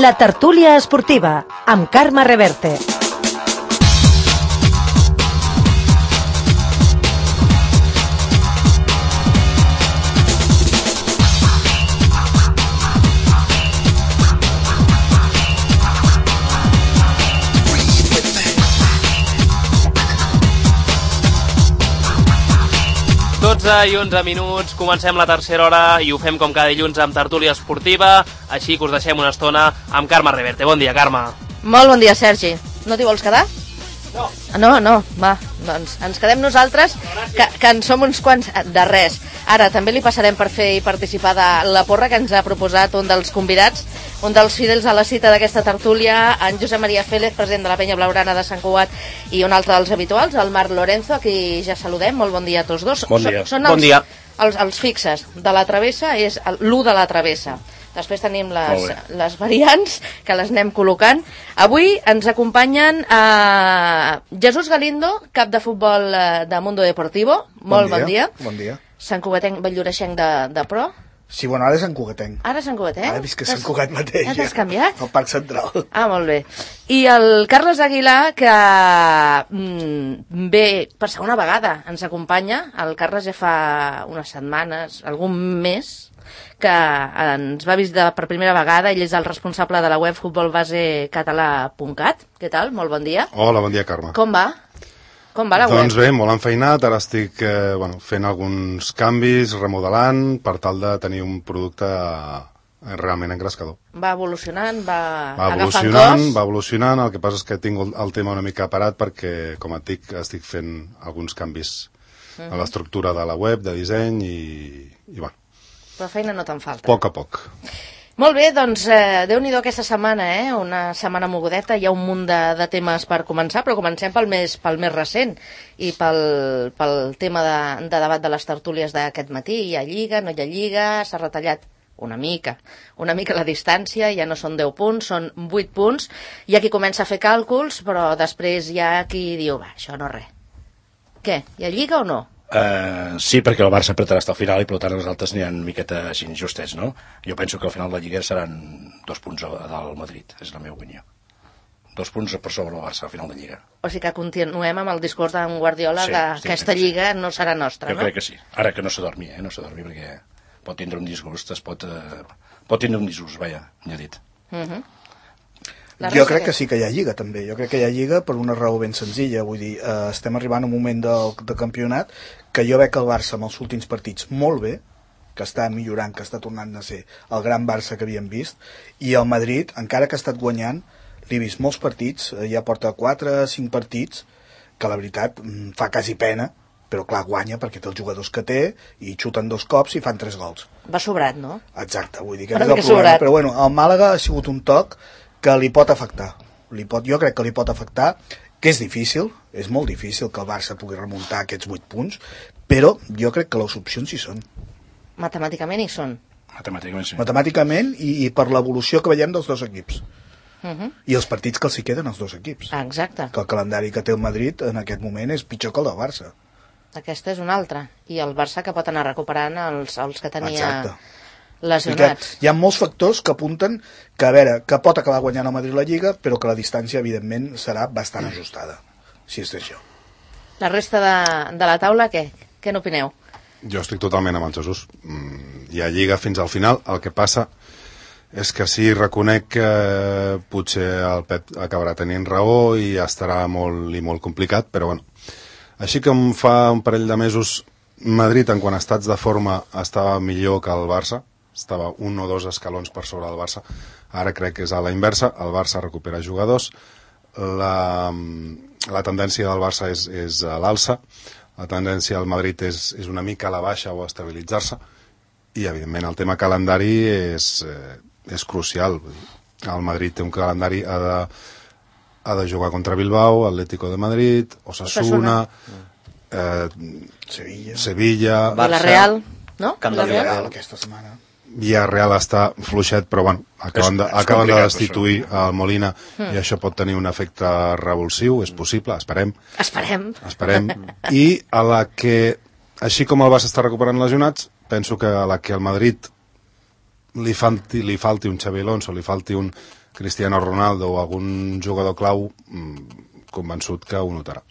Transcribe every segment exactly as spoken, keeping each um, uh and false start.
La tertúlia esportiva, amb Carme Reverte. dotze i onze minuts, comencem la tercera hora i ho fem com cada dilluns amb tertúlia esportiva, així que us deixem una estona amb Carme Reverte. Bon dia, Carme. Molt bon dia, Sergi. No t'hi vols quedar? No. No, no, va, doncs ens quedem nosaltres, que, que en som uns quants de res. Ara també li passarem per fer i participar de la porra que ens ha proposat un dels convidats, un dels fidels a la cita d'aquesta tertúlia, en Josep Maria Félez, president de la Penya Blaugrana de Sant Cugat, i un altre dels habituals, el Marc Lorenzo, a qui ja saludem. Molt bon dia a tots dos. Bon dia. Són els, bon dia. Els, els fixes de la travessa, és l'u de la travessa. Després tenim les, les variants, que les anem col·locant. Avui ens acompanyen eh, Jesús Galindo, cap de futbol eh, de Mundo Deportivo. Molt bon dia. Bon dia. Sant Cugatenc, Valldoreixenc de, de Pro. Sí, bueno, ara és Sant Cugatenc. Ara Sant Cugatenc? Ara he vist que Sant Cugat mateix. Ja t'has canviat? El Parc Central. Ah, molt bé. I el Carles Aguilar, que mm, ve per segona vegada, ens acompanya. El Carles ja fa unes setmanes, algun mes, que ens va visitar per primera vegada. Ell és el responsable de la web futbolbasecatalà punt cat. Què tal? Molt bon dia. Hola, bon dia, Carme. Com va? Com va la web? Doncs bé, molt enfeinat. Ara estic eh, bueno, fent alguns canvis, remodelant, per tal de tenir un producte eh, realment engrescador. Va evolucionant, va, va agafant evolucionant, cos? Va evolucionant, el que passa és que tinc el tema una mica parat perquè, com et dic, estic fent alguns canvis uh -huh. a l'estructura de la web, de disseny i, i bueno. Però feina no te'n falta. A poc a poc. Molt bé, doncs eh, Déu-n'hi-do aquesta setmana, eh? Una setmana mogudeta, hi ha un munt de, de temes per començar, però comencem pel més, pel més recent i pel, pel tema de, de debat de les tertúlies d'aquest matí. Hi ha Lliga, no hi ha Lliga, s'ha retallat una mica, una mica la distància, ja no són deu punts, són vuit punts. Hi ha qui comença a fer càlculs, però després hi ha qui diu, va, això no res. Què, hi ha Lliga o no? Uh, sí, perquè el Barça apretarà fins al final i per tant els altres n'hi ha una miqueta així justets, no? Jo penso que al final de la Lliga seran dos punts del Madrid, és la meva opinió. Dos punts per sobre el Barça al final de Lliga. O sigui que continuem amb el discurs d'en Guardiola sí, que aquesta Lliga sí. no serà nostra, jo no? Jo crec que sí. Ara que no s'adormi, eh? No s'adormi perquè pot tindre un disgust, es pot, eh, pot tindre un disgust, vaja, ja dit. Uh -huh. Jo crec que sí que hi ha Lliga, també. Jo crec que hi ha Lliga per una raó ben senzilla. Vull dir, eh, estem arribant a un moment del, de campionat que jo veig el Barça amb els últims partits molt bé, que està millorant, que està tornant a ser el gran Barça que havíem vist, i el Madrid, encara que ha estat guanyant, l'he vist molts partits, eh, ja porta quatre cinc partits, que la veritat fa quasi pena, però clar, guanya perquè té els jugadors que té i xuten dos cops i fan tres gols. Va sobrat, no? Exacte, vull dir que és el problema. Sobrat. Però bueno, el Màlaga ha sigut un toc que li pot afectar. Li pot, jo crec que li pot afectar, que és difícil, és molt difícil que el Barça pugui remuntar aquests vuit punts, però jo crec que les opcions hi són. Matemàticament hi són. Matemàticament sí. Matemàticament i, i per l'evolució que veiem dels dos equips. Uh -huh. I els partits que els hi queden als dos equips. Ah, exacte. Que el calendari que té el Madrid en aquest moment és pitjor que el del Barça. Aquesta és una altra. I el Barça que pot anar recuperant els, els que tenia... Exacte. Lesionats. Hi ha molts factors que apunten que, a veure, que pot acabar guanyant el Madrid la Lliga, però que la distància, evidentment, serà bastant ajustada, si és d'això. La resta de, de la taula, què? Què n'opineu? Jo estic totalment amb el Jesús. Hi ha Lliga fins al final. El que passa és que sí, reconec que potser el Pep acabarà tenint raó i estarà molt i molt complicat, però bueno. Així com fa un parell de mesos Madrid, en quant a estats de forma, estava millor que el Barça, estava un o dos escalons per sobre del Barça. Ara crec que és a la inversa, el Barça recupera jugadors, la, la tendència del Barça és, és a l'alça, la tendència del Madrid és, és una mica a la baixa o a estabilitzar-se, i evidentment el tema calendari és, eh, és crucial. El Madrid té un calendari, ha de, ha de jugar contra Bilbao, Atlético de Madrid, Osasuna, eh, Sevilla, Sevilla Barça, la Real, no? Camp de la Real aquesta setmana. Villarreal està fluixet, però bueno, acaben de, acaben de destituir el Molina mm. i això pot tenir un efecte revulsiu, és possible, esperem. Esperem. Esperem. I a la que, així com el Barça està recuperant lesionats, penso que a la que al Madrid li falti, li falti un Xabi Alonso, li falti un Cristiano Ronaldo o algun jugador clau, convençut que ho notarà.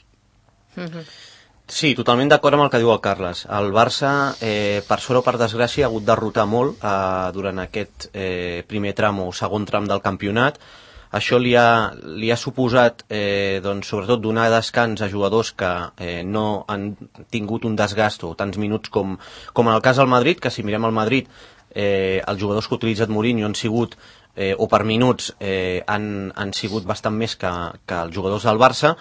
Sí, totalment d'acord amb el que diu el Carles. El Barça, eh, per sort o per desgràcia, ha hagut de rotar molt eh, durant aquest eh, primer tram o segon tram del campionat. Això li ha, li ha suposat, eh, doncs, sobretot, donar descans a jugadors que eh, no han tingut un desgast o tants minuts com, com en el cas del Madrid, que si mirem el Madrid, eh, els jugadors que ha utilitzat Mourinho han sigut, eh, o per minuts, eh, han, han sigut bastant més que, que els jugadors del Barça.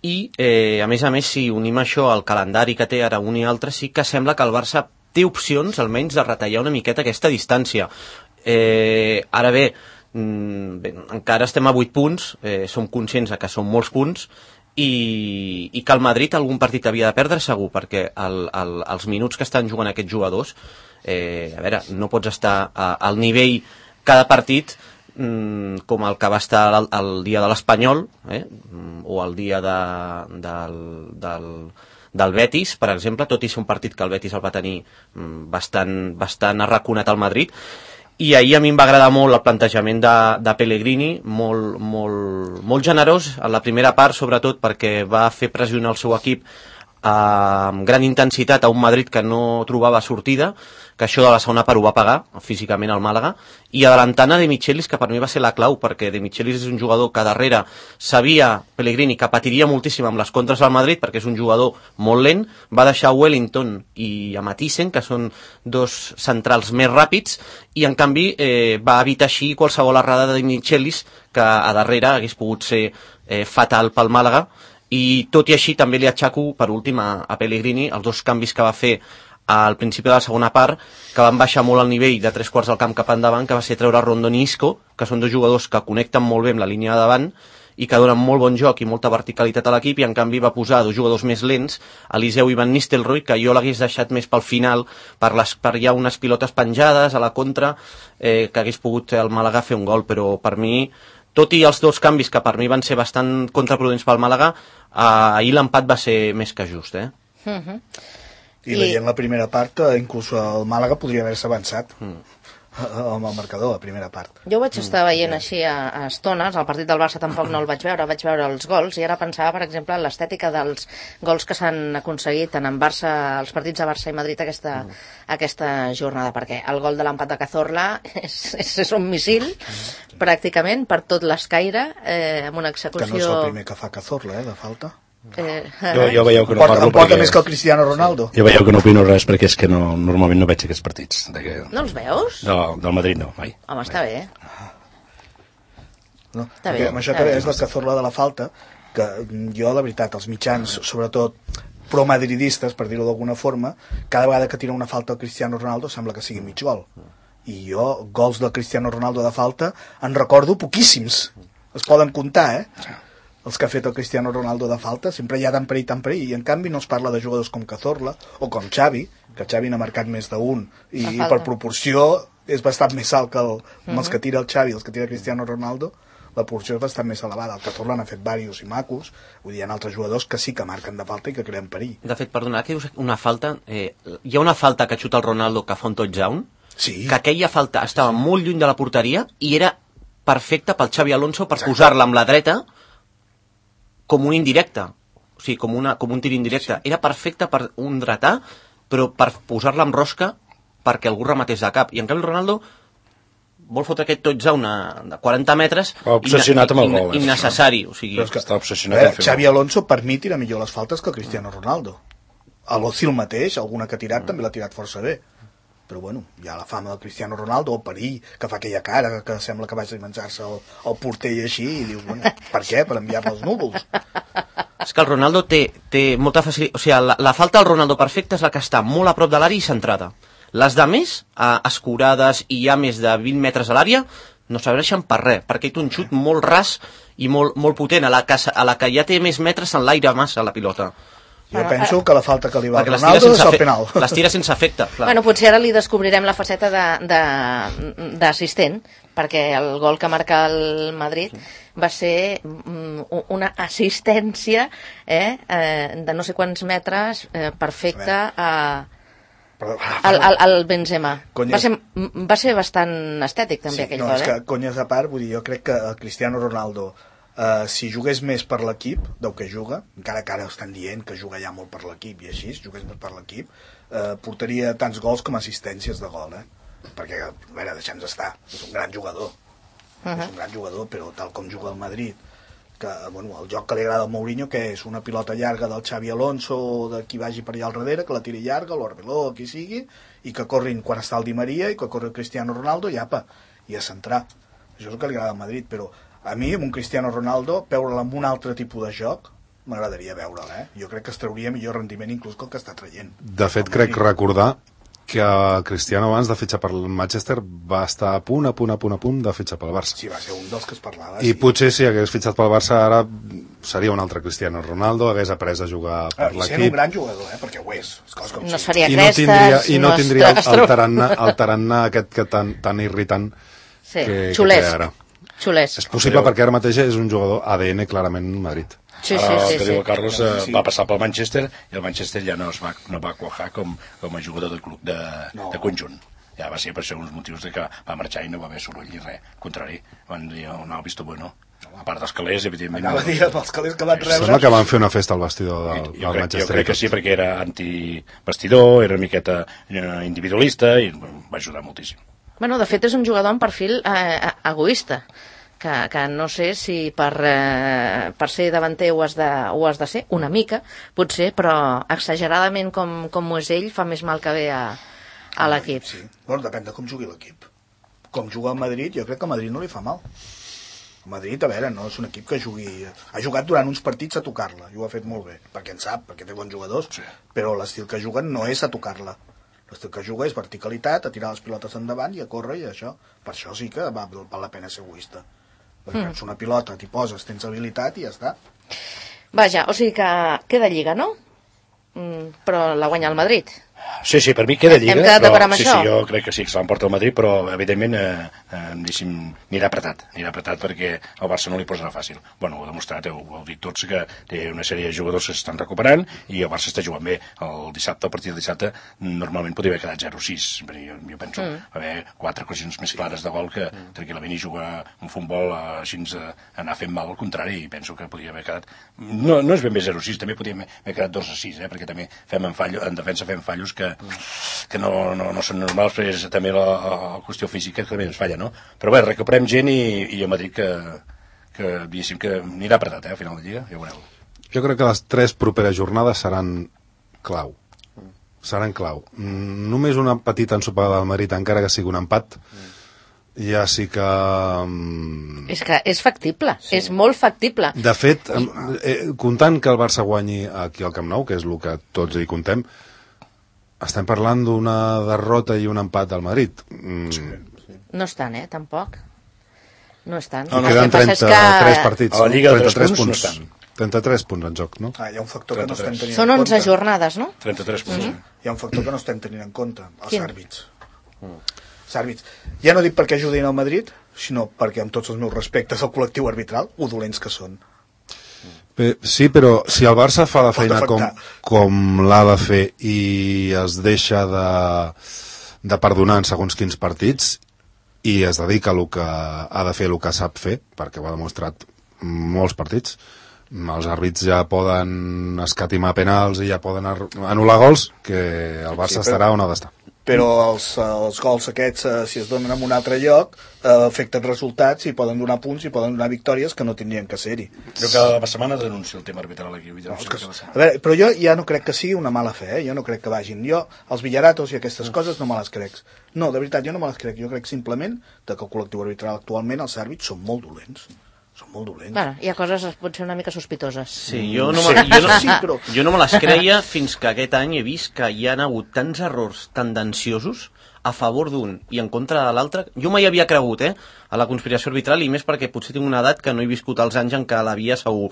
I, eh, a més a més, si unim això al calendari que té ara un i altre, sí que sembla que el Barça té opcions, almenys, de retallar una miqueta aquesta distància. Eh, ara bé, bé, encara estem a vuit punts, eh, som conscients que són molts punts, i, i que el Madrid algun partit havia de perdre segur, perquè el, el, els minuts que estan jugant aquests jugadors, eh, a veure, no pots estar a, al nivell cada partit com el que va estar el, el dia de l'Espanyol, eh? o el dia de, del, del, del Betis, per exemple, tot i ser un partit que el Betis el va tenir bastant, bastant arraconat al Madrid. I ahir a mi em va agradar molt el plantejament de, de Pellegrini, molt, molt, molt generós en la primera part, sobretot perquè va fer pressionar el seu equip amb gran intensitat a un Madrid que no trobava sortida, que això de la segona part ho va pagar físicament al Màlaga, i adelantant a De Michelis, que per mi va ser la clau, perquè De Michelis és un jugador que darrere sabia Pellegrini que patiria moltíssim amb les contres del Madrid, perquè és un jugador molt lent, va deixar Wellington i a Matisen, que són dos centrals més ràpids, i en canvi eh, va evitar així qualsevol errada de De Michelis, que a darrere hagués pogut ser eh, fatal pel Màlaga. I tot i així també li atxaco per últim a, a Pellegrini els dos canvis que va fer al principi de la segona part, que van baixar molt el nivell de tres quarts del camp cap endavant, que va ser treure Rondon i Isco, que són dos jugadors que connecten molt bé amb la línia de davant i que donen molt bon joc i molta verticalitat a l'equip, i en canvi va posar dos jugadors més lents, Eliseu i Van Nistelrooy, que jo l'hagués deixat més pel final per, les, per hi ha unes pilotes penjades a la contra, eh, que hagués pogut el Màlaga fer un gol, però per mi, tot i els dos canvis que per mi van ser bastant contraproduents pel Màlaga, eh, ahir l'empat va ser més que just, eh? Uh-huh. I veient la primera part, inclús el Màlaga podria haver-se avançat mm. amb el marcador, la primera part. Jo vaig estar veient així a, a estones, el partit del Barça tampoc no el vaig veure, vaig veure els gols, i ara pensava, per exemple, en l'estètica dels gols que s'han aconseguit tant en Barça, els partits de Barça i Madrid aquesta, mm. aquesta jornada, perquè el gol de l'empat de Cazorla és, és, és un missil, mm. pràcticament, per tot l'escaire, eh, amb una execució... Que no és el primer que fa Cazorla, eh, de falta. Eh, jo, jo veieu que no porta, parlo porta perquè... més que el Cristiano Ronaldo. Jo veieu que no opino res perquè és que no, normalment no veig aquests partits. De que... No els veus? No, del Madrid no, mai. Home, està bé. No, està bé. Amb això que és la Cazorla de la falta, que jo, la veritat, els mitjans, sobretot pro-madridistes, per dir-ho d'alguna forma, cada vegada que tira una falta al Cristiano Ronaldo sembla que sigui mig gol. I jo, gols del Cristiano Ronaldo de falta, en recordo poquíssims. Es poden comptar, eh? Els que ha fet el Cristiano Ronaldo de falta, sempre hi ha tant perill, tant perill, i en canvi no es parla de jugadors com Cazorla o com Xavi, que Xavi n'ha marcat més d'un, i, i per proporció és bastant més alt que el, uh-huh. els que tira el Xavi, els que tira Cristiano Ronaldo, la proporció és bastant més elevada. El Cazorla n'ha fet diversos i macos, vull dir, hi ha altres jugadors que sí que marquen de falta i que creen perill. De fet, perdona, que dius una falta, eh, hi ha una falta que xuta el Ronaldo que fa un touchdown, sí. que aquella falta estava molt lluny de la porteria i era perfecta pel Xavi Alonso per Exacte. Posar-la amb la dreta com un indirecte, o sigui, com, una, com un tir indirecte. Sí. Era perfecte per un dretà, però per posar-la amb rosca perquè algú rematés de cap. I en canvi el Ronaldo vol fotre aquest touchdown de quaranta metres obsessionat amb el gol. Innecessari. O sigui, però és que està obsessionat. Veure, Xavi Alonso per mi tira millor les faltes que el Cristiano Ronaldo. A l'Ozil mateix, alguna que ha tirat mm. també l'ha tirat força bé. Però bueno, hi ha la fama del Cristiano Ronaldo, el perill, que fa aquella cara, que sembla que vagi a menjar-se el, el porter i així, i diu, bueno, per què? Per enviar-me els núvols. És que el Ronaldo té, té molta facilitat, o sigui, la, la falta del Ronaldo perfecta és la que està molt a prop de l'àrea i centrada. Les de més, eh, escurades i ja més de vint metres a l'àrea, no serveixen per res, perquè té un xut molt ras i molt, molt potent, a la, que, a la que ja té més metres en l'aire massa la pilota. Jo bueno, penso que la falta que li va a Ronaldo és el penal. Les tira sense efecte. Clar. Bueno, potser ara li descobrirem la faceta d'assistent, perquè el gol que marca el Madrid va ser una assistència eh, de no sé quants metres eh, perfecta a... el, el, el Benzema. Va ser, va ser bastant estètic també, sí, aquell no, gol, és eh? que, conyes a part, vull dir, jo crec que el Cristiano Ronaldo, eh, si jugués més per l'equip del que juga, encara que ara estan dient que juga ja molt per l'equip i així, si jugués més per l'equip, eh, portaria tants gols com assistències de gol, eh? Perquè, a veure, deixem-nos estar, és un gran jugador, uh -huh. és un gran jugador, però tal com juga el Madrid, que, bueno, el joc que li agrada al Mourinho, que és una pilota llarga del Xavi Alonso o de qui vagi per allà al darrere, que la tiri llarga, l'Orbeló, qui sigui, i que corrin quan està el Di Maria i que corri el Cristiano Ronaldo i apa, i a centrar. Això és el que li agrada al Madrid, però a mi, amb un Cristiano Ronaldo, veure'l amb un altre tipus de joc, m'agradaria veure'l, eh? Jo crec que es trauria millor rendiment inclús que el que està traient. De fet, crec recordar que Cristiano abans de fitxar per el Manchester va estar a punt, a punt, a punt, a punt de fitxar pel Barça. Sí, va ser un dels que es parlava. I sí. potser si hagués fitxat pel Barça ara seria un altre Cristiano Ronaldo, hagués après a jugar per ah, l'equip. I sent un gran jugador, eh? Perquè ho és. És com no sí. seria I no crestes, tindria, i no no tindria el, estro... el tarannà, el tarannà aquest que tan, tan irritant sí. que, xulesc. que té ara. Xulesc. És possible perquè ara mateix és un jugador A D N clarament Madrid. Sí, sí, Ara, sí, el que sí. diu el Carlos eh, va passar pel Manchester i el Manchester ja no es va, no va quajar com, com a jugador de club de, no. de conjunt. Ja va ser per ser uns motius de que va marxar i no va haver soroll i res. Al contrari, van dir, oh, no, visto bueno. A part dels calés, evidentment... Anava a dir els calés que van rebre... Sembla que van fer una festa al vestidor del, jo, del crec, Manchester. jo crec que sí, perquè era antivestidor, era una miqueta eh, individualista i bueno, va ajudar moltíssim. Bueno, de fet és un jugador amb perfil eh, egoista, que, que no sé si per, eh, per ser davanter ho has, de, ho has de ser, una mica, potser, però exageradament com, com ho és ell fa més mal que bé a, a l'equip. Sí, bueno, depèn de com jugui l'equip. Com juga el Madrid, jo crec que al Madrid no li fa mal. El Madrid, a veure, no és un equip que jugui... Ha jugat durant uns partits a tocar-la, i ho ha fet molt bé, perquè en sap, perquè té bons jugadors, sí. Però l'estil que juguen no és a tocar-la. L'estil que juga és verticalitat, a tirar les pilotes endavant i a córrer i això. Per això sí que va, val la pena ser egoista. Perquè mm. és una pilota, t'hi poses, tens habilitat i ja està. Vaja, o sigui que queda Lliga, no? Mm, però la guanya el Madrid. Sí, sí, per mi queda Lliga, Hem quedat d'acord amb sí, això? sí, jo crec que sí que se l'emporta el Madrid, però evidentment eh, eh, diguéssim, anirà apretat, anirà apretat perquè el Barça no li posarà fàcil. Bueno, ho ha demostrat, ho heu dit tots, que té una sèrie de jugadors que s'estan recuperant i el Barça està jugant bé. El dissabte, el partit del dissabte, normalment podria haver quedat zero sis, jo, jo penso mm. haver quatre ocasions més clares de gol que mm. tranquil·lament i jugar un futbol eh, així eh, anar fent mal, al contrari, i penso que podria haver quedat... No, no és ben bé zero sis, també podria haver quedat dos a sis, eh, perquè també fem en, fallo, en defensa fem fallos que... Mm. que no, no, no són normals, però és també la, la qüestió física que també ens falla, no? Però bé, recuperem gent i, i a Madrid que, que diguéssim que anirà apretat, eh, al final de Lliga, ja ho veureu. Jo crec que les tres properes jornades seran clau. Seran clau. Mm, només una petita ensopada del Madrid, encara que sigui un empat, ja sí que... Um... És que és factible, sí. És molt factible. De fet, eh, comptant que el Barça guanyi aquí al Camp Nou, que és el que tots hi contem, estem parlant d'una derrota i un empat del Madrid. Mm. Sí, sí. No estan, eh, tampoc. No estan. No, no, queden trenta-tres que... partits. A la Lliga de trenta-tres punts, punts no estan. trenta-tres punts en joc, no? Ah, hi ha un factor que no estem tenint Són en compte. onze jornades, no? trenta-tres punts. Mm -hmm. Hi ha un factor que no estem tenint en compte, els Quin? àrbits. Mm. Els àrbits. Ja no dic perquè ajudin al Madrid, sinó perquè, amb tots els meus respectes al col·lectiu arbitral, ho dolents que són. Sí, però si el Barça fa la feina com, com l'ha de fer i es deixa de, de perdonar en segons quins partits i es dedica a el que ha de fer, el que sap fer, perquè ho ha demostrat molts partits, els àrbits ja poden escatimar penals i ja poden anul·lar gols, que el Barça sí, però... estarà on ha d'estar. Però els, els gols aquests, eh, si es donen en un altre lloc, eh, afecten resultats i poden donar punts i poden donar victòries que no tindrien que ser-hi. Jo cada setmana denuncio el tema arbitral aquí. No, que, a veure, però jo ja no crec que sigui una mala fe, eh? Jo no crec que vagin. Jo, els Villaratos i aquestes no. coses no me les crec. No, de veritat, jo no me les crec. Jo crec simplement que el col·lectiu arbitral actualment, els àrbits, són molt dolents. Són molt dolents. Bueno, hi ha coses potser una mica sospitoses. Sí, jo no, me, jo, no, sí, però... jo no me les creia fins que aquest any he vist que hi ha hagut tants errors tendenciosos a favor d'un i en contra de l'altre. Jo mai havia cregut, eh, a la conspiració arbitral, i més perquè potser tinc una edat que no he viscut els anys en què l'havia segur.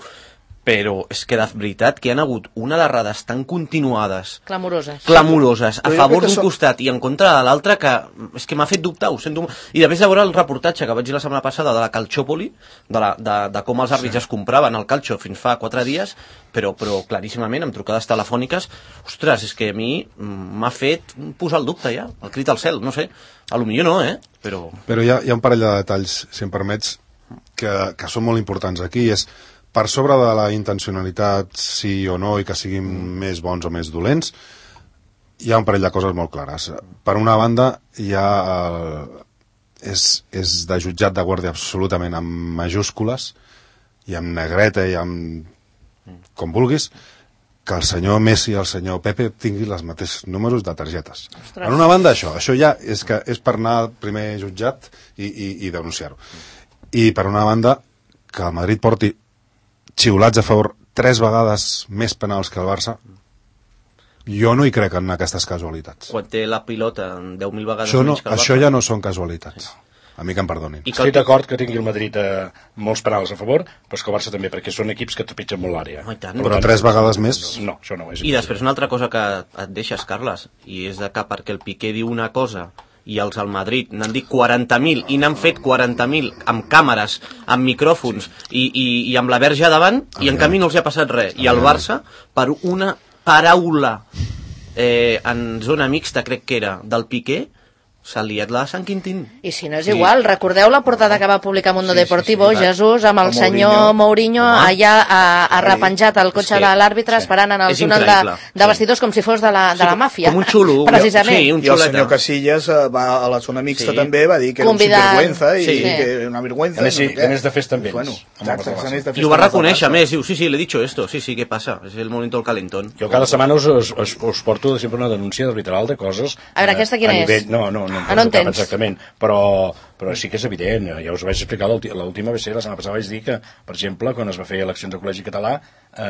però és que de veritat que hi ha hagut una d'errades tan continuades, clamoroses, clamoroses a Però jo favor crec que d'un som- costat i en contra de l'altre, que és que m'ha fet dubtar, ho sento. I després de veure el reportatge que vaig dir la setmana passada de la Calciopoli, de, la, de, de com els àrbits es compraven el calcio fins fa quatre dies, però, però claríssimament, amb trucades telefòniques, ostres, és que a mi m'ha fet posar el dubte ja, el crit al cel, no sé, a lo millor no, eh? Però... Però hi ha, hi ha un parell de detalls, si em permets, que, que són molt importants aquí. És per sobre de la intencionalitat, sí o no, i que siguin més bons o més dolents, hi ha un parell de coses molt clares. Per una banda, hi ha... El, és, és de jutjat de guàrdia absolutament amb majúscules, i amb negreta, i amb... com vulguis, que el senyor Messi i el senyor Pepe tinguin els mateixos números de targetes. Ostres. Per una banda, això. Això ja és, que és per anar al primer jutjat i, i, i denunciar-ho. I per una banda, que el Madrid porti xiulats a favor tres vegades més penals que el Barça, jo no hi crec en aquestes casualitats. Quan té la pilota deu mil vegades Això, no, menys que el això Barça. ja no són casualitats. A mi que em perdonin. I que Estic d'acord que tingui el Madrid eh, molts penals a favor, però és que el Barça també, perquè són equips que trepitgen molt l'àrea. Home, i tant. Per Però tant, tres vegades més... No, això no ho és. I després una altra cosa que et deixes, Carles, i és de que perquè el Piqué diu una cosa i els al Madrid n'han dit quaranta mil i n'han fet quaranta mil amb càmeres, amb micròfons i, i, i amb la verge davant, i en canvi no els hi ha passat res. I el Barça, per una paraula eh, en zona mixta, crec que era, del Piqué, s'ha liat la de Sant Quintín. I si no és igual, recordeu la portada que va publicar Mundo Sí, sí, Deportivo, sí, sí. Jesús, amb el El senyor Mourinho, Mourinho. allà a, a repenjat al cotxe És que- de l'àrbitre, sí. esperant en el És túnel de, increïble. de vestidors com si fos de la, de la màfia. Com un xulo. Precisament. Sí, un I el xuleta. senyor Casillas eh, va a la zona mixta Sí. també, va dir que era un Convidant. sinvergüenza i Sí. que era una vergüenza. A més, sí, no sé què. a més de festa amb ells. Bueno, Amb el exacte, Barça. a més de I ho va festa reconèixer, a amb el més, diu, sí, sí, l'he dicho esto, sí, sí, què passa? És el momento del calentón. Jo cada setmana us, us, us, us porto sempre una denúncia arbitral de coses... A veure, aquesta quina a nivell, és? No, no, no, Ah, no en tens? exactament, però, però sí que és evident, ja us ho vaig explicar l'últi- l'última vegada, la setmana passada vaig dir que, per exemple, quan es va fer eleccions al Col·legi Català,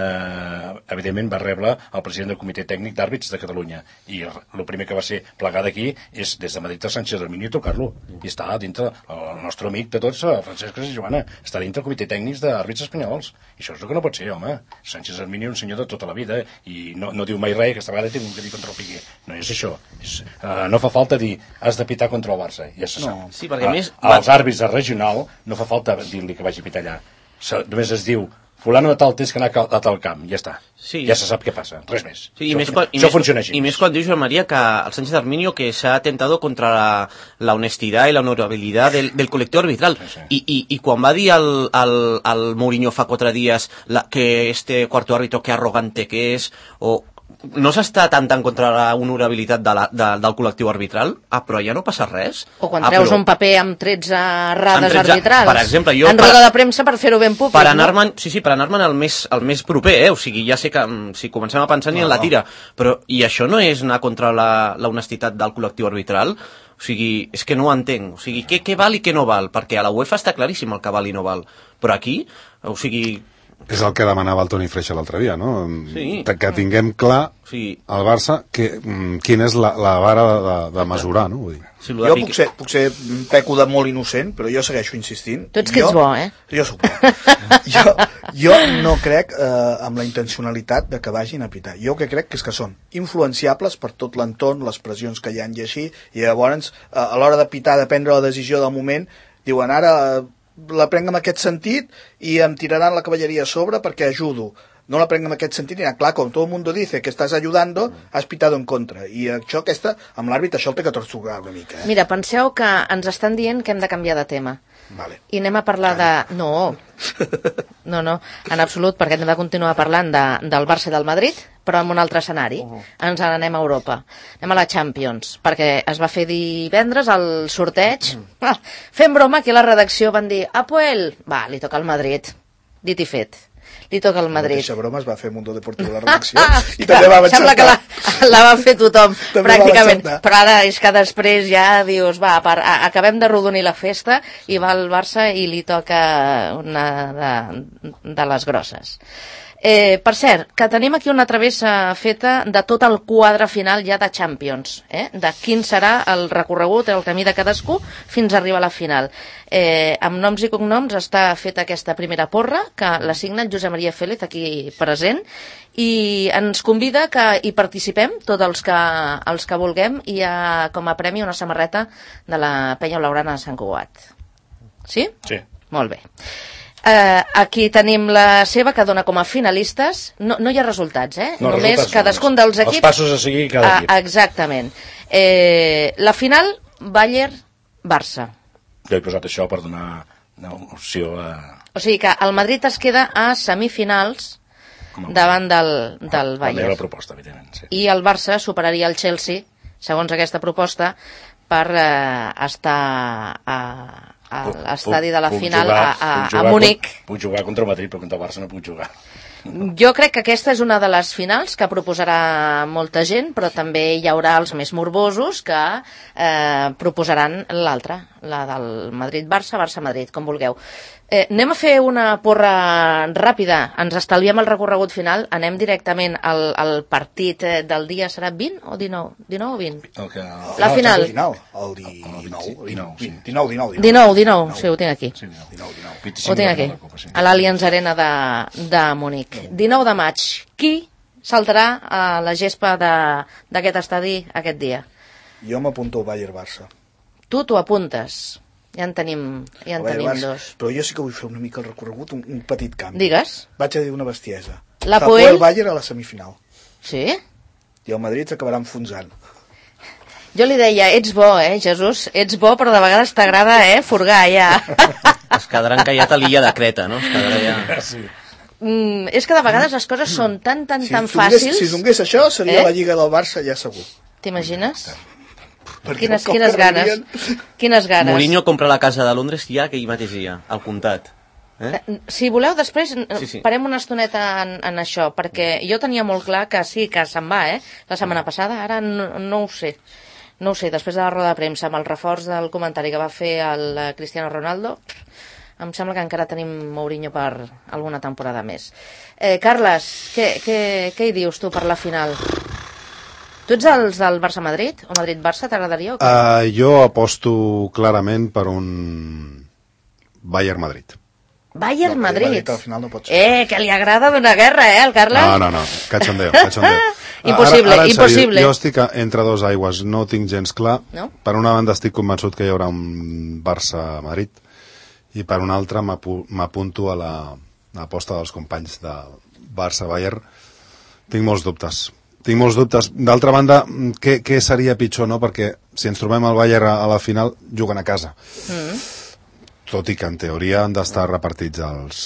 eh, evidentment va rebre el president del Comitè Tècnic d'Àrbits de Catalunya, i el primer que va ser plegar d'aquí és des de Madrid a Sánchez Arminio i tocar-lo, i està dintre, el nostre amic de tots, Francesc Casas i Joana, està dintre el Comitè Tècnic d'Àrbits Espanyols, i això és el que no pot ser, home. Sánchez Arminio és un senyor de tota la vida, i no, no diu mai res, aquesta vegada tinc que dir contra el Piqué, no és això, és, uh, no fa falta dir has de pitar contra el Barça, ja se sap. No. Sí, perquè a més- A, als àrbits de regional no fa falta dir-li que vagi a pitar allà, se, només es diu fulano de tal tens que anar a tal camp, ja està, Sí. ja se sap què passa, res més. Sí, i això, més, quan, i això més, funciona així. Y més quan diu Joan María que el Sánchez Arminio que se ha atentado contra la, la honestidad y la honorabilidad del, del colectivo arbitral. Sí, sí. I, i, I quan va dir al, al, al Mourinho fa quatre dies la, que este cuarto árbitro que arrogante que és, o no s'està atentant contra la honorabilitat de la, de, del col·lectiu arbitral, ah, però ja no passa res. O quan ah, treus però- un paper amb tretze errades Amb tretze, arbitrals. per exemple, jo en per- roda de premsa per fer-ho ben públic. per no? anar-me'n, sí, sí, per anar-me'n al més, al més proper, eh? O sigui, ja sé que mm, si comencem a pensar ni en la tira, però i això no és anar contra la, la honestitat del col·lectiu arbitral? O sigui, és que no ho entenc. O sigui, què, què val i què no val? Perquè a la UEFA està claríssim el que val i no val. Però aquí, o sigui... És el que demanava el Toni Freixa l'altre dia, no? Sí. Que tinguem clar Sí. al Barça que, mm, quina és la, la vara de, de mesurar, no? Vull dir. Si lo de Jo Piqué- puc ser, puc ser peco de molt innocent, però jo segueixo insistint. Tu ets que jo, ets bo, eh? Jo soc bo. jo, jo no crec eh, amb la intencionalitat de que vagin a pitar. Jo que crec que és que són influenciables per tot l'entorn, les pressions que hi ha i així, i llavors eh, a l'hora de pitar, de prendre la decisió del moment, diuen ara eh, la prenc en aquest sentit i em tiraran la cavalleria a sobre perquè ajudo. No la prenc en aquest sentit i anar, clar, com tot el mundo dice que estàs ayudando, has pitado en contra. I això aquesta, amb l'àrbit, això el té que tortugar una mica. Eh? Mira, penseu que ens estan dient que hem de canviar de tema. Vale. I anem a parlar de... No, no, no, en absolut, perquè hem de continuar parlant de, del Barça i del Madrid, però en un altre escenari. Ens n'anem a Europa. Anem a la Champions, perquè es va fer divendres el sorteig. Ah, fem broma, aquí a la redacció van dir Apoel, va, li toca al Madrid. Dit i fet. Li toca al La Madrid. mateixa broma es va fer a Mundo Deportivo de la redacció i també va Sembla que la, la va fer tothom, També pràcticament. va encertar. Però ara és que després ja dius, va, per, a, acabem de rodonir la festa i va al Barça i li toca una de, de les grosses. Eh, per cert, que tenim aquí una travessa feta de tot el quadre final ja de Champions, eh? De quin serà el recorregut, el camí de cadascú fins a arribar a la final. Eh, amb noms i cognoms està feta aquesta primera porra, que la signa el Josep Maria Félez, aquí present, i ens convida que hi participem, tots els que, els que vulguem, i hi ha com a premi una samarreta de la Penya Blaugrana de Sant Cugat. Sí? Sí. Molt bé. Uh, aquí tenim la seva, que dona com a finalistes. No, no hi ha resultats, eh? No, Només resultats, cadascun només. dels equips... Els passos a seguir cada equip. Uh, exactament. Eh, la final, Bayern-Barça. Jo he posat això per donar una opció a... O sigui que el Madrid es queda a semifinals davant del, del Bayern. La meva proposta, evidentment, sí. I el Barça superaria el Chelsea, segons aquesta proposta, per eh, estar a... a l'estadi de la puc final jugar, a, a, jugar, a Múnich. Puc jugar contra el Madrid, però contra el Barça no puc jugar. Jo crec que aquesta és una de les finals que proposarà molta gent, però també hi haurà els més morbosos que eh, proposaran l'altra, la del Madrid-Barça, Barça-Madrid, com vulgueu. Eh, anem a fer una porra ràpida, ens estalviem el recorregut final, anem directament al, al partit del dia, serà vint o dinou? dinou o vint? El que... La no, final. El dinou, el dinou, dinou, sí. dinou, dinou, dinou, dinou, sí, ho tinc aquí. Sí, dinou, dinou. Ho tinc aquí, a l'Allianz Arena de, de Múnich. dinou de maig. Qui saltarà a la gespa d'aquest estadi aquest dia? Jo m'apunto al Bayern-Barça. Tu t'ho apuntes. Ja en tenim, ja en tenim dos. Però jo sí que vull fer una mica el recorregut, un, un petit canvi. Digues. Vaig a dir una bestiesa. La Tapoel Poel... Bayern a la semifinal. Sí? I el Madrid s'acabarà enfonsant. Jo li deia, ets bo, eh, Jesús? Ets bo, però de vegades t'agrada, eh, furgar, ja. Es quedarà encallat a l'illa de Creta, no? Es quedarà ja... Sí. Mm, és que de vegades les coses són tan, tan, Si tan donés, fàcils... si donés això, seria Eh? la Lliga del Barça, ja segur. T'imagines? Perquè Quines, el cop quines que ganes. rebien- Quines ganes. Mourinho compra la casa de Londres ja aquell mateix dia, al comptat. Eh? Si voleu, després Sí, sí, sí. sí. parem una estoneta en, en això, perquè jo tenia molt clar que sí, que se'n va, eh? La setmana passada, ara no, no ho sé. No ho sé, després de la roda de premsa, amb el reforç del comentari que va fer el eh, Cristiano Ronaldo, em sembla que encara tenim Mourinho per alguna temporada més. Eh, Carles, què, què, què hi dius tu per la final? Tu ets els del Barça-Madrid? O Madrid-Barça, t'agradaria? O què? Uh, jo aposto clarament per un Bayern-Madrid. Bayern-Madrid. Madrid al final no pot ser. Eh, que li agrada donar guerra, eh, al Carles? No, no, no, cachondeo, cachondeo. Impossible, ara, ara, en impossible. Sèrio, jo estic entre dos aigües, no ho tinc gens clar. No? Per una banda estic convençut que hi haurà un Barça-Madrid i per una altra m'apu- m'apunto a la a l'aposta dels companys de Barça-Bayern. Tinc molts dubtes. Tinc molts dubtes. D'altra banda, què, què seria pitjor, no? Perquè si ens trobem al Bayern a, a la final, juguen a casa. Mm. Tot i que en teoria han d'estar repartits els,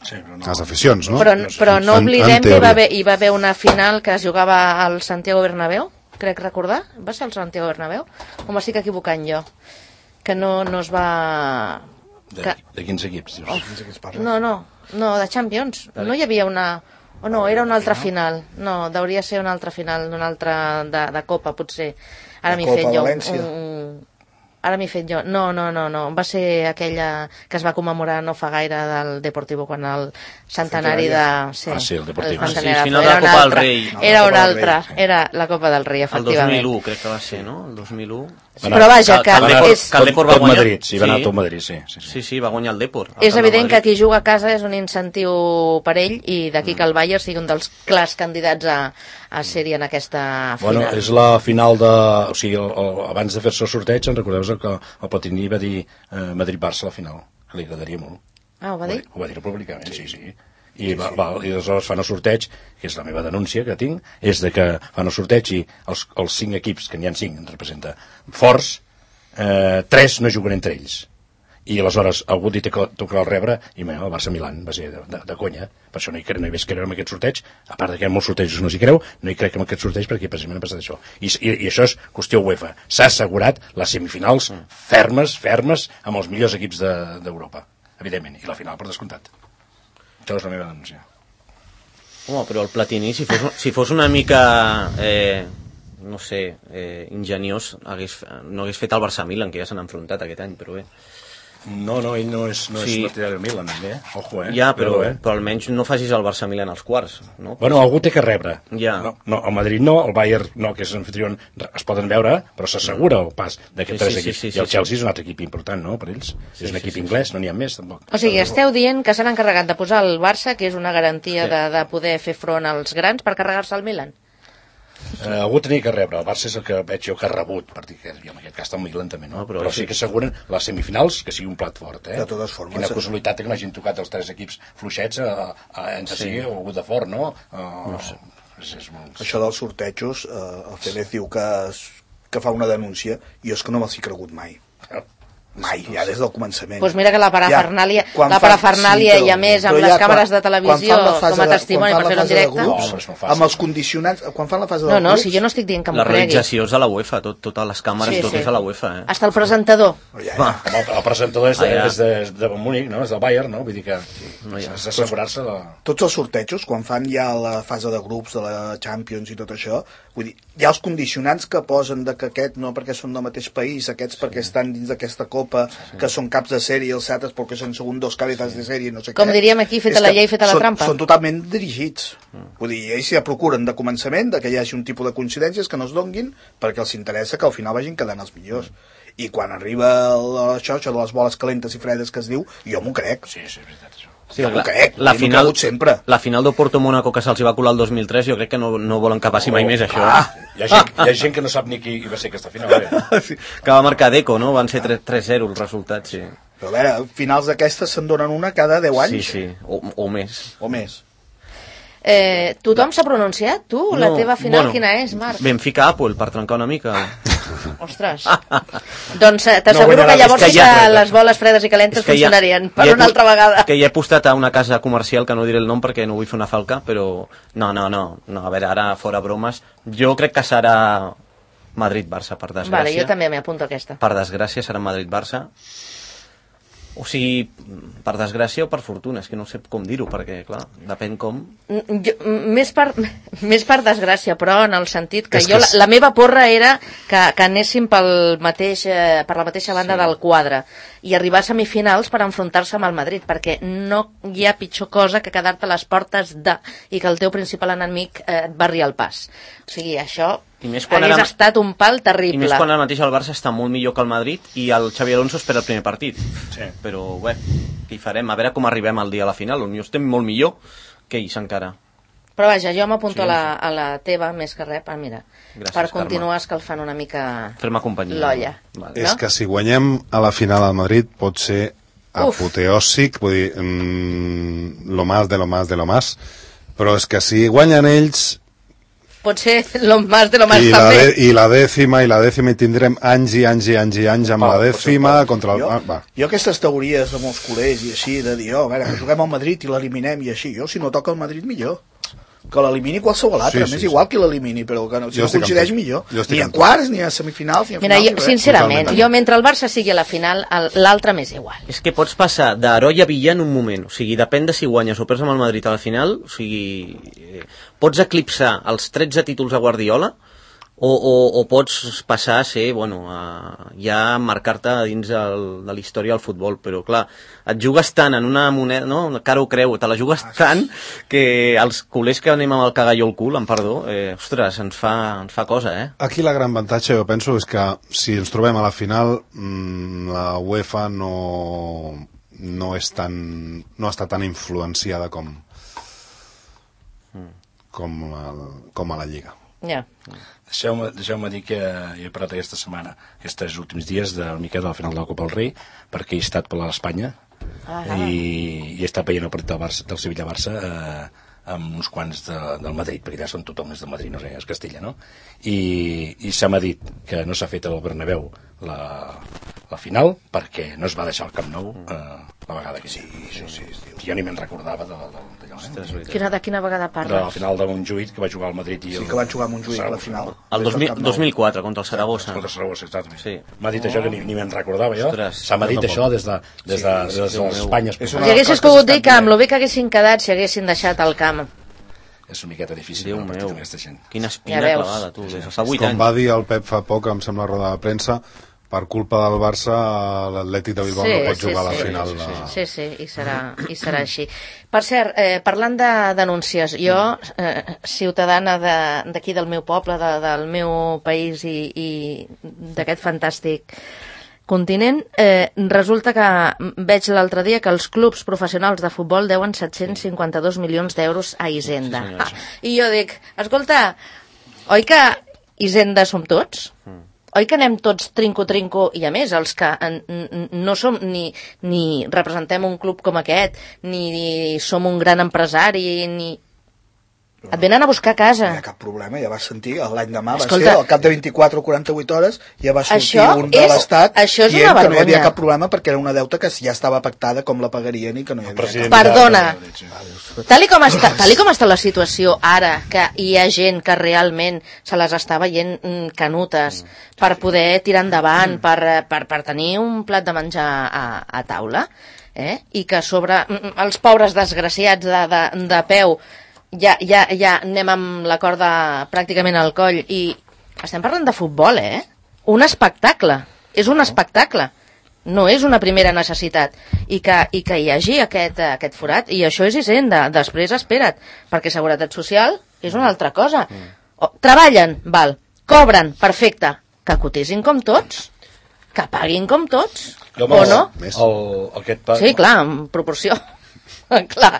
Sí, però no. les aficions, no? Però, però no En- en oblidem que hi va, teoria. haver, hi va haver una final que es jugava al Santiago Bernabéu, crec recordar. Va ser el Santiago Bernabéu? O m'estic equivocant jo? Que no, no es va... De, Que... de quins equips, dius? No sé què es parla. No, no, no, de Champions. No hi havia una... O no, era una altra final. No, hauria ser una altra final, d'una altra de, de Copa, potser. Ara De m'hi Copa fet jo. València. Un, ara m'hi fet jo. No, no, no, no. Va ser aquella que es va commemorar no fa gaire del Deportivo quan el centenari de... Sí, Ah, sí, el Deportivo. centenari Sí, de- final de era la una Copa del altra. Rei. No, Era la una Copa del altra. Rei. Era la Copa del Rei, El dos efectivament. mil u crec que va ser, no? El dos mil u. Però vaja, que, Que el Depor, és, que el Depor va Tot guanyar... Madrid, sí, va anar tot Madrid, sí. sí, sí. Sí, sí, va guanyar el Depor. és evident que qui juga a casa és un incentiu per ell i d'aquí que el Bayern sigui un dels clars candidats a, a ser-hi en aquesta final. Bueno, és la final de... O sigui, el, el, abans de fer-se el sorteig, en recordeu que el Platini va dir eh, Madrid-Barça a la final. Li agradaria molt. Ah, ho va dir? Ho va dir públicament, sí, sí. I, va, va, i aleshores fan el sorteig, que és la meva denúncia que tinc, és de que fan el sorteig i els, els cinc equips, que n'hi ha cinc, en representa, forts, eh, tres no juguen entre ells. I aleshores algú li tocarà el rebre, i bé, el Barça-Milan va ser de, de, de conya, per això no hi, cre, no hi ves creure en aquest sorteig, a part de que hi ha molts sortejos no s'hi creu, no hi crec en aquest sorteig perquè precisament ha passat això. I, i, i això és qüestió UEFA. S'ha assegurat les semifinals fermes, fermes, amb els millors equips d'Europa, de, evidentment, i la final per descomptat. Això és la meva denúncia. Home, però el Platini, si fos, si fos una mica, eh, no sé, eh, ingeniós, hagués, no hagués fet el Barça-Milan, que ja s'han enfrontat aquest any, però bé. No, no, ell no és, no Sí. és partidari del Milan, eh? Ojo, eh? Ja, però, eh? però almenys no facis el Barça-Milan als quarts, no? Bueno, algú té que rebre. Ja. No, no, el Madrid no, el Bayern no, que és anfitrión, es poden veure, però s'assegura el pas d'aquests Sí, tres sí, equips. sí, sí, I el sí, Chelsea és un altre equip important, no?, per ells. Sí, és un sí, equip sí, inglès, no n'hi ha més, tampoc. O sigui, esteu dient que s'han encarregat de posar el Barça, que és una garantia Sí. de, de poder fer front als grans, per carregar-se el Milan? Eh, algú tenia que rebre, el Barça és el que veig jo que ha rebut, per dir que en aquest cas el Milan també, no? No, però però, sí. sí que asseguren les semifinals que sigui un plat fort, eh? De totes formes, Quina eh? casualitat que n'hagin tocat els tres equips fluixets a, a, entre sí, o algú de fort, no? Uh, no sé. És, és molt... Això dels sortejos, eh, el Félix diu que, es, que fa una denúncia, i jo és que no me'ls he cregut mai. Mai, ja des del començament. Doncs pues mira que la parafernàlia, quan la fan- parafernàlia sí, però- i a més amb però les ja càmeres quan- de televisió quan fan la fase com a de- testimoni quan per fan fer-ho la en fase de directe. grups, No, però és molt fàcil. amb els condicionants, quan fan la fase de No, no, grups, si jo no estic dient que m'ho La cregui. realització és de la UEFA, tot, totes les càmeres, Sí, tot sí. és a la UEFA, eh? Hasta el presentador. ja, ja. Home, el, el presentador és de, Ah, ja. és de, és de Múnich, no? És del Bayern, no? Vull dir que No, ja. és d'assegurar-se de... Tots els sortejos, quan fan ja la fase de grups de la Champions i tot això, vull dir, hi ha els condicionants que posen de que aquest no perquè són del mateix país, aquests perquè estan dins d'aquesta copa, que són caps de sèrie, els altres perquè són segundos cabezas de sèrie, no sé Com què. diríem aquí, feta És la que llei, feta la són, trampa. Són totalment dirigits. Vull dir, ells ja procuren de començament de que hi hagi un tipus de coincidències que no es donguin perquè els interessa que al final vagin quedant els millors. I quan arriba el- això, això de les boles calentes i fredes que es diu, jo m'ho crec. Sí, sí, és veritat, això. Sí, Jo m'ho la, crec, la jo m'ho he final, cregut sempre. la final del Porto-Mónaco que se'ls hi va colar el dos mil tres, jo crec que no, no volen que passi mai més això. Ah, hi, ha gent, hi ha gent que no sap ni qui va ser aquesta final. Eh? Sí, que va marcar Deco, no? Van ser tres zero els resultats, sí. Però a veure, finals d'aquestes se'n donen una cada deu anys Sí, sí, o, o més. o més. Eh, tothom s'ha pronunciat? Tu? La No, teva final bueno, quina és, Marc? Benfica-Apple, per trencar una mica. Ostres. Doncs eh, t'asseguro guanyarà que llavors és que sí ja- que les boles fredes i calentes És que ja- funcionarien per ja he una pu- altra vegada. Que ja he postat a una casa comercial, que no diré el nom perquè no vull fer una falca, però no, no, no, no a veure, ara fora bromes, jo crec que serà Madrid-Barça, per desgràcia. Vale, jo també m'hi apunto aquesta. Per desgràcia serà Madrid-Barça. O sigui, per desgràcia o per fortuna, és que no sé com dir-ho, perquè, clar, depèn com... Mm, Jo, mm, més, per, més per desgràcia, però en el sentit que És jo, que la, és- la meva porra era que, que anéssim pel mateix, eh, per la mateixa banda del quadre i arribar a semifinals per enfrontar-se amb el Madrid, perquè no hi ha pitjor cosa que quedar-te a les portes de i que el teu principal enemic eh, et barri el pas. O sigui, això I més quan hagués ara- estat un pal I terrible. més quan ara mateix el Barça està molt millor que el Madrid i el Xavi Alonso espera el primer partit. Sí. Però, bé, què hi farem? A veure com arribem al dia a la final. Potser estem molt millor que ells encara. Però vaja, jo m'apunto Sí, a, la, a la teva més que res, per, mira, Gràcies, per Carme. continuar escalfant una mica Fer-me companyia. l'olla. Vale. És No? que si guanyem a la final al Madrid pot ser Uf. apoteòsic, vull dir, mm, lo más de lo más de lo más, però és que si guanyen ells Pot ser lo más de lo más i la, també. de, i la dècima i la dècima i tindrem anys i anys i anys i anys amb la dècima contra el... Jo, Ah, va. jo aquestes teories de molts culers i així, de dir, oh, a veure, que juguem al Madrid i l'eliminem i així, jo si no toca el Madrid millor. Que l'elimini qualsevol altre, Sí, sí, sí, m'és sí. igual qui l'elimini, però que no, si Jo no estic amb coincideix tu. millor. Jo estic Ni a amb tu. quarts, ni a semifinals, ni a Mira, finals, jo, ni res. sincerament, Totalment. jo mentre el Barça sigui a la final, el- l'altre m'és igual. És que pots passar d'heroi a villà en un moment. O sigui, depèn de si guanyes o perds amb el Madrid a la final. O sigui, eh, pots eclipsar els tretze títols a Guardiola o, o, o pots passar a ser, bueno, a, ja marcar-te dins el, de la història del futbol. Però, clar, et jugues tant en una moneda, no? Una cara o creu, te la jugues tant que els culers que anem amb el cagalló al cul, amb perdó, eh, ostres, ens fa, ens fa cosa, eh? Aquí la gran avantatge, jo penso, és que si ens trobem a la final, mmm, la UEFA no, no, és tan, no està tan influenciada com, com, el, com a la Lliga. Ja. Deixeu-me deixeu dir que he parat aquesta setmana, aquests últims dies, del Miquel de la final de la Copa del Rei, perquè he estat per l'Espanya Ah, i, i he estat veient el partit del, Barça, del Sevilla-Barça eh, amb uns quants de, del Madrid, perquè ja són tothom és del Madrid, no sé, és Castella, no? I, i se m'ha dit que no s'ha fet al Bernabéu la, la final perquè no es va deixar el Camp Nou eh, la vegada que sí, això sí, jo ni me'n recordava de, de, d'allò, eh? Quina, de quina vegada De la parles? final de Montjuïc que va jugar al Madrid i Sí, el, que van jugar amb un juïc a la final. El dos mil, Des del Camp Nou. dos mil quatre, contra el Saragossa. contra Saragossa, exactament. Sí. M'ha dit això que ni, ni me'n recordava jo. Ostres, Se m'ha dit jo això des de, des de, des de, Déu meu. l'Espanya. És Si una- haguessis pogut dir que amb lo bé que haguessin quedat si haguessin deixat el camp. És una miqueta difícil. Déu no, partit meu, amb aquesta gent. quina espina Ja veus. clavada, tu, des de fa vuit Com anys. va dir el Pep fa poc, em sembla, a la roda de premsa, per culpa del Barça l'Atlètic de Bilbao Sí, no pot sí, jugar a la sí. final. Sí, de- sí, sí, i serà, i serà així. Per cert, eh, parlant de denúncies, jo, eh, ciutadana de- d'aquí del meu poble, de, del meu país i, i d'aquest fantàstic continent, eh, resulta que veig l'altre dia que els clubs professionals de futbol deuen set-cents cinquanta-dos milions d'euros a Hisenda. Sí, senyora, Ah, I jo dic, escolta, oi que Hisenda som tots? Oi que anem tots trinco-trinco, i a més, els que en, n- no som ni, ni representem un club com aquest, ni, ni som un gran empresari, ni... Et venen a buscar a casa. No hi ha cap problema, ja vas sentir, l'any demà va Escolta, ser, al cap de vint-i-quatre o quaranta-vuit hores, ja va sortir això un de és- l'Estat això és dient una que no hi havia vergonya. cap problema perquè era una deuta que ja estava pactada com la pagarien i que no hi havia president cap... Perdona. de- Tal i, com està, tal i com està la situació ara, que hi ha gent que realment se les està veient mm, canutes per poder tirar endavant, per, eh, per, per tenir un plat de menjar a, a taula, eh? I que a sobre mm, els pobres desgraciats de, de, de peu ja, ja, ja anem amb la corda pràcticament al coll, i estem parlant de futbol, eh? Un espectacle, és un espectacle, no és una primera necessitat, i que, i que hi hagi aquest, aquest forat, i això és Hisenda. Després espera't, perquè Seguretat Social és una altra cosa. O, treballen, val, cobren, perfecte, que cotisin com tots, que paguin com tots, Jo, o no? Més. El, aquest pa... Sí, clar, en proporció. Clar.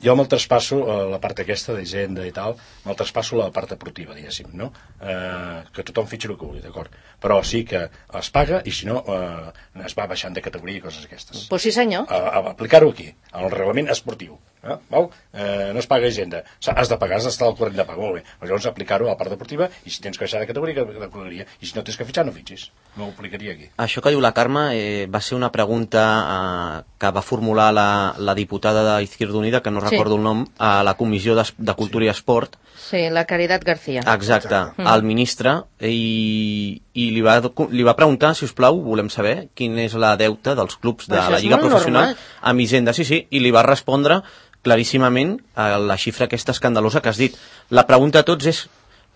Jo me'l traspasso, eh, la part aquesta d'Hisenda i tal, me'l traspasso la part deportiva, diguéssim, no? Eh, que tothom fitxi el que vulgui, d'acord? Però sí que es paga i si no eh, es va baixant de categoria i coses aquestes. Pues sí, senyor. A, a aplicar-ho aquí, en el reglament esportiu. Eh? Val? Eh, no es paga Hisenda. O sigui, has de pagar, has d'estar al corrent de pagar, molt bé. Però llavors aplicar-ho a la part deportiva i si tens que baixar de categoria, de categoria. I si no tens que fitxar, no fitxis. No ho aplicaria aquí. Això que diu la Carme eh, va ser una pregunta eh, que va formular la, la diputada d'Izquierda Unida, que no Sí. recordo el nom, a la Comissió de, de Cultura i Esport. Sí, la Caritat García. Exacte, al ministre, i, i li, va, li va preguntar, si us plau, volem saber quin és la deuta dels clubs de Això la és Lliga molt Professional normal. amb Hisenda. Sí, sí, i li va respondre claríssimament a la xifra aquesta escandalosa que has dit. La pregunta a tots és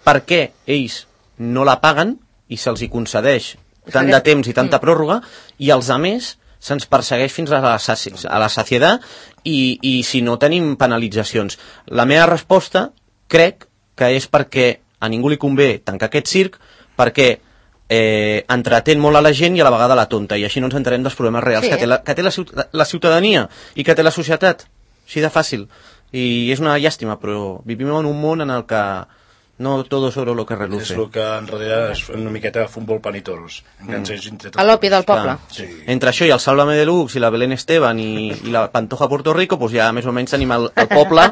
per què ells no la paguen i se'ls hi concedeix tant de temps i tanta pròrroga, i els altres se'ns persegueix fins a la, saci a la saciedat i, i si no tenim penalitzacions. La meva resposta crec que és perquè a ningú li convé tancar aquest circ, perquè eh, entretén molt a la gent i a la vegada la tonta, i així no ens enterem dels problemes reals Sí. que té, la, que té la, ciut la ciutadania i que té la societat. Així de fàcil. I és una llàstima, però vivim en un món en el que no todo sobre lo que És reluce. el que en realitat és una miqueta futbol pan i toros. Mm. A l'opi del poble. Sí. Entre això i el Sálvame Deluxe i la Belén Esteban i, i la Pantoja Puerto Rico, pues ja més o menys tenim el, el poble,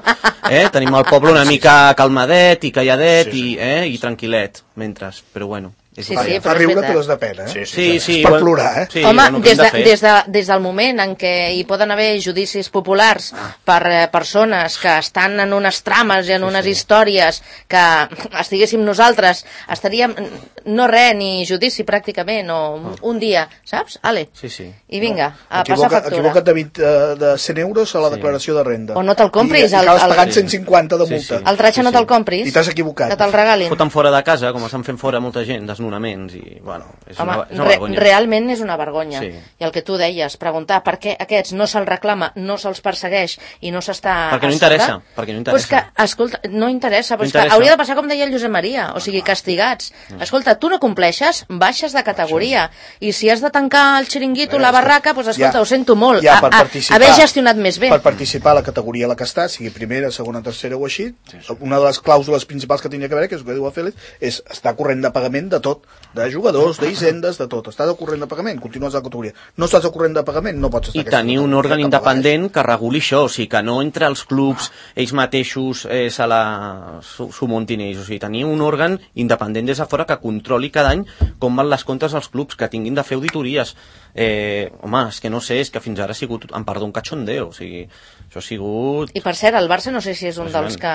eh? tenim el poble una mica calmadet i calladet Sí, sí. i, eh? i tranquil·let, mentre, però bueno. És Sí, el que sí, hi ha. Fa però és riure veritat. però és de pena, eh? Sí, Sí, sí, És per bueno, plorar, eh? Sí, Home, bueno, què des, hem de, de fer? des, de, des del moment en què hi poden haver judicis populars per eh, persones que estan en unes trames i en unes històries que estiguéssim nosaltres, estaríem no res, ni judici pràcticament, o un, un dia, saps? Ale, Sí, sí. i vinga, a passar Equivoca, factura. equivoca't de, vint, eh, de cent euros a la declaració de renda. O no te'l compris, I, i el- acabes el- pagant Sí. cent cinquanta de Sí, multa. sí. El tratge no Sí, sí. te'l compris, I t'has equivocat. que te'l regalin. Foten fora de casa, com estan fent fora molta gent, desnonaments, i, bueno, és Home, una, és una re, vergonya. realment és una vergonya. Sí. I el que tu deies, preguntar per què aquests no se'ls reclama, no se'ls persegueix i no s'està... Perquè no a interessa, sobre, perquè no Pues que, interessa. escolta, no interessa, però No és que interessa. hauria de passar com deia el Josep Maria, o sigui, castigats. Escolta, tu no compleixes, baixes de categoria, i si has de tancar el xiringuito, la barraca, doncs escolta, Ja- ho sento molt, ja a, per a, participar- haver gestionat més bé. Per participar a la categoria a la que està, sigui primera, segona, tercera o així, una de les clàusules principals que tindria que haver, que és el que diu el Félix, és estar corrent de pagament de tot, de jugadors, d'hisendes, de tot. Estàs al corrent de pagament, continues a la categoria. No estàs al corrent de pagament, no pots estar I a aquesta tenir un categoria, òrgan que independent que reguli això, o sigui, que no entre els clubs ells mateixos eh, se la s'ho s'ho muntin ells, o sigui, tenir un òrgan independent des de fora que controli cada any com van les comptes dels clubs, que tinguin de fer auditories. Eh, home, és que no sé, és que fins ara ha sigut, em perdó, un cachondeo, o sigui, això ha sigut... I per cert, el Barça no sé si és un dels que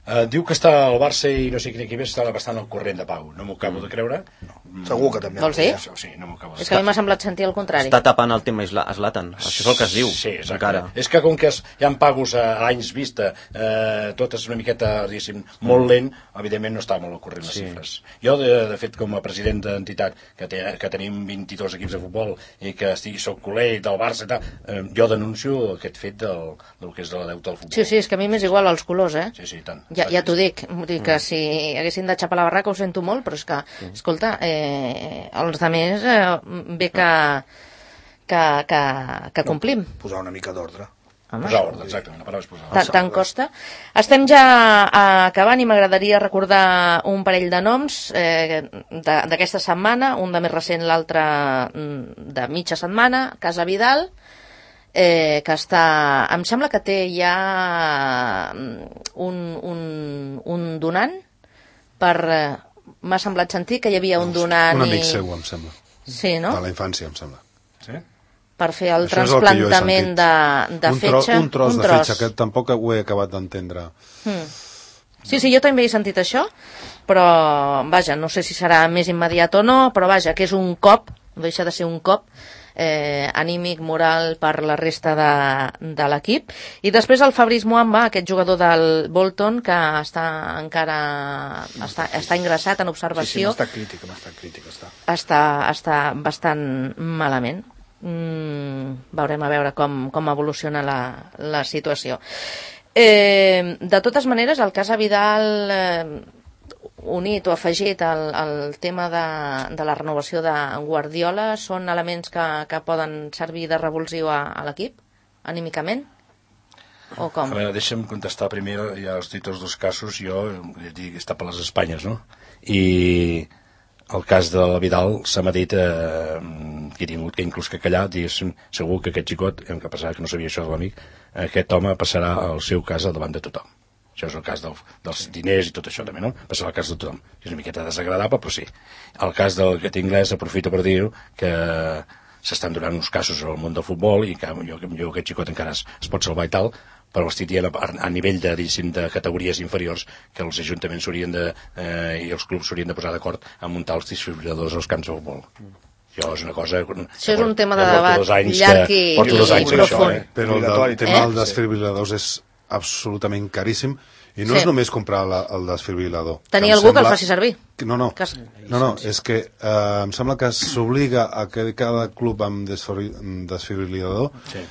Uh, diu que està al Barça i no sé quin equip està bastant al corrent de Pau. No m'ho acabo de creure. No. Segur que també. Vols dir? Sí, no m'ho acabo de És que a mi m'ha semblat sentir el contrari. Està tapant el tema Zlatan. Això és el que es diu. Sí, exacte. Encara. És que com que es, hi ha pagos a anys vista, eh, tot és una miqueta, diguéssim, molt lent, evidentment no està molt al corrent les Sí. xifres. Jo, de, de fet, com a president d'entitat, que, té, que tenim vint-i-dos equips de futbol i que estic, soc col·leg del Barça i tal, eh, jo denuncio aquest fet del, del que és el deute del futbol. Sí, sí, és que a mi m'és igual els colors, eh? Sí, sí, tant. Ja, ja t'ho dic, vull dir que si haguessin de xapar la barraca ho sento molt, però és que, escolta, eh, els altres eh, bé que, que, que, que complim. Posar una mica d'ordre. Home, Posar ordre, exacte, la paraula és posar Ta- ordre. tant costa. Estem ja acabant i m'agradaria recordar un parell de noms eh, de- d'aquesta setmana, un de més recent, l'altre mm, de mitja setmana, Casa Vidal, eh, que està... Em sembla que té ja mm, un, un, un donant per... Eh, m'ha semblat sentir que hi havia un donant Un amic i... seu, em sembla. Sí, no? De la infància, em sembla. Sí? Per fer el Això és el que jo he trasplantament sentit. de, de un tro, fetge. un tros de fetge, que tampoc ho he acabat d'entendre. Mm. Sí, sí, jo també he sentit això, però, vaja, no sé si serà més immediat o no, però vaja, que és un cop, no deixa de ser un cop, eh, anímic, moral, per la resta de, de l'equip. I després el Fabrice Muamba, aquest jugador del Bolton, que està encara està, està ingressat en Sí, sí, observació, m'ha estat crític, m'ha estat crític. Està. està, està bastant malament. Mm, veurem a veure com, com evoluciona la, la situació. Eh, de totes maneres, el cas a Vidal, eh, unit o afegit al, al tema de, de la renovació de Guardiola, són elements que, que poden servir de revulsiu a, a l'equip, anímicament? O com? A veure, deixa'm contestar primer, ja has dit els dos casos, jo, ja dic, està per les Espanyes, no? I el cas de la Vidal se m'ha dit eh, que he tingut que inclús que callar, diguéssim, segur que aquest xicot, hem que passar, que no sabia això de l'amic, aquest home passarà el seu cas al davant de tothom. Això és el cas del, dels diners i tot això també, no? Passarà el cas de tothom. És una miqueta desagradable, però sí. El cas del aquest anglès, aprofito per dir que s'estan donant uns casos al món del futbol i que jo, jo aquest xicot encara es, es pot salvar i tal, però estic dient a, a nivell de, de categories inferiors que els ajuntaments s'haurien de, eh, i els clubs s'haurien de posar d'acord a muntar els desfibriladors als camps de futbol. Això és una cosa... Això és un tema de debat llarg i, porto dos anys i amb això, profund. eh? Però el, Obligatori, del tema eh? dels desfibriladors és absolutament caríssim i no Sí. és només comprar la, el desfibrilador. Tenir em algú que el sembla- faci servir. Que No, no, Que es- no, no és que eh, em sembla que s'obliga a que cada club amb desfibri- amb desfibrilador Sí.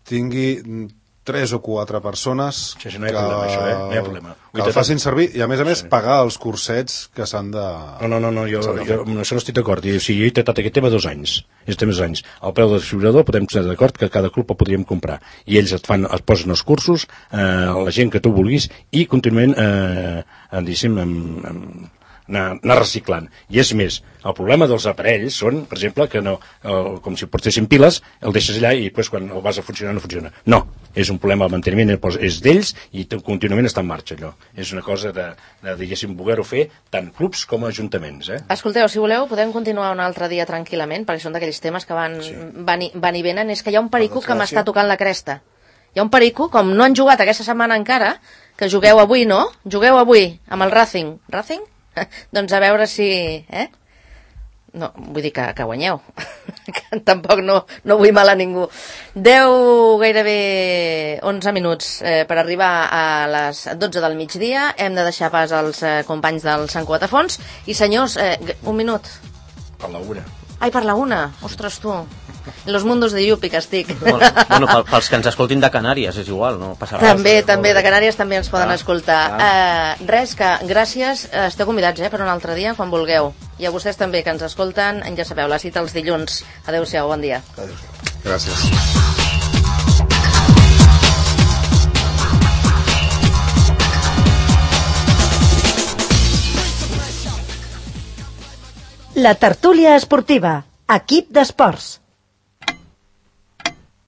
tingui tres o quatre persones Sí, sí, no hi ha problema, això, eh? No hi ha problema. que el facin servir i a més a més pagar els cursets que s'han de... No, no, no, no jo, jo amb això no estic d'acord. I, o sigui, jo he tractat aquest tema dos anys. És tema dos anys. El preu del desfibrilador podem estar d'acord que cada club el podríem comprar. I ells et fan, et posen els cursos, eh, la gent que tu vulguis, i contínuament, eh, diguéssim, amb, amb, anar, anar reciclant. I és més, el problema dels aparells són, per exemple, que no, el, com si portessin piles, el deixes allà i després quan el vas a funcionar no funciona. No, és un problema de manteniment, és d'ells i contínuament està en marxa allò. És una cosa de, de diguéssim, voler-ho fer tant clubs com ajuntaments, eh? Escolteu, si voleu, podem continuar un altre dia tranquil·lament, perquè són d'aquells temes que van, sí. van, i, van i venen. És que hi ha un perico que m'està tocant la cresta. Hi ha un perico, com no han jugat aquesta setmana encara, que jugueu avui, no? Jugueu avui amb el Racing. Racing? Doncs a veure si... Eh? No, vull dir que, que guanyeu. Que tampoc no, no vull mal a ningú. deu, gairebé onze minuts eh, per arribar a les dotze del migdia. Hem de deixar pas als eh, companys del Sant Cuatafons. I senyors, eh, un minut. Per la una. Ai, per la una. Ostres, tu. En los mundos de Yupi que estic. Bueno, bueno pel, pels que ens escoltin de Canàries és igual, no passa res. També, també, de Canàries també ens poden Ah, escoltar. Eh, res, que gràcies, eh, esteu convidats eh, per un altre dia, quan vulgueu. I a vostès també, que ens escolten, ja sabeu, la cita els dilluns. Adéu-siau, bon dia. Gràcies. La tertúlia esportiva, equip d'esports.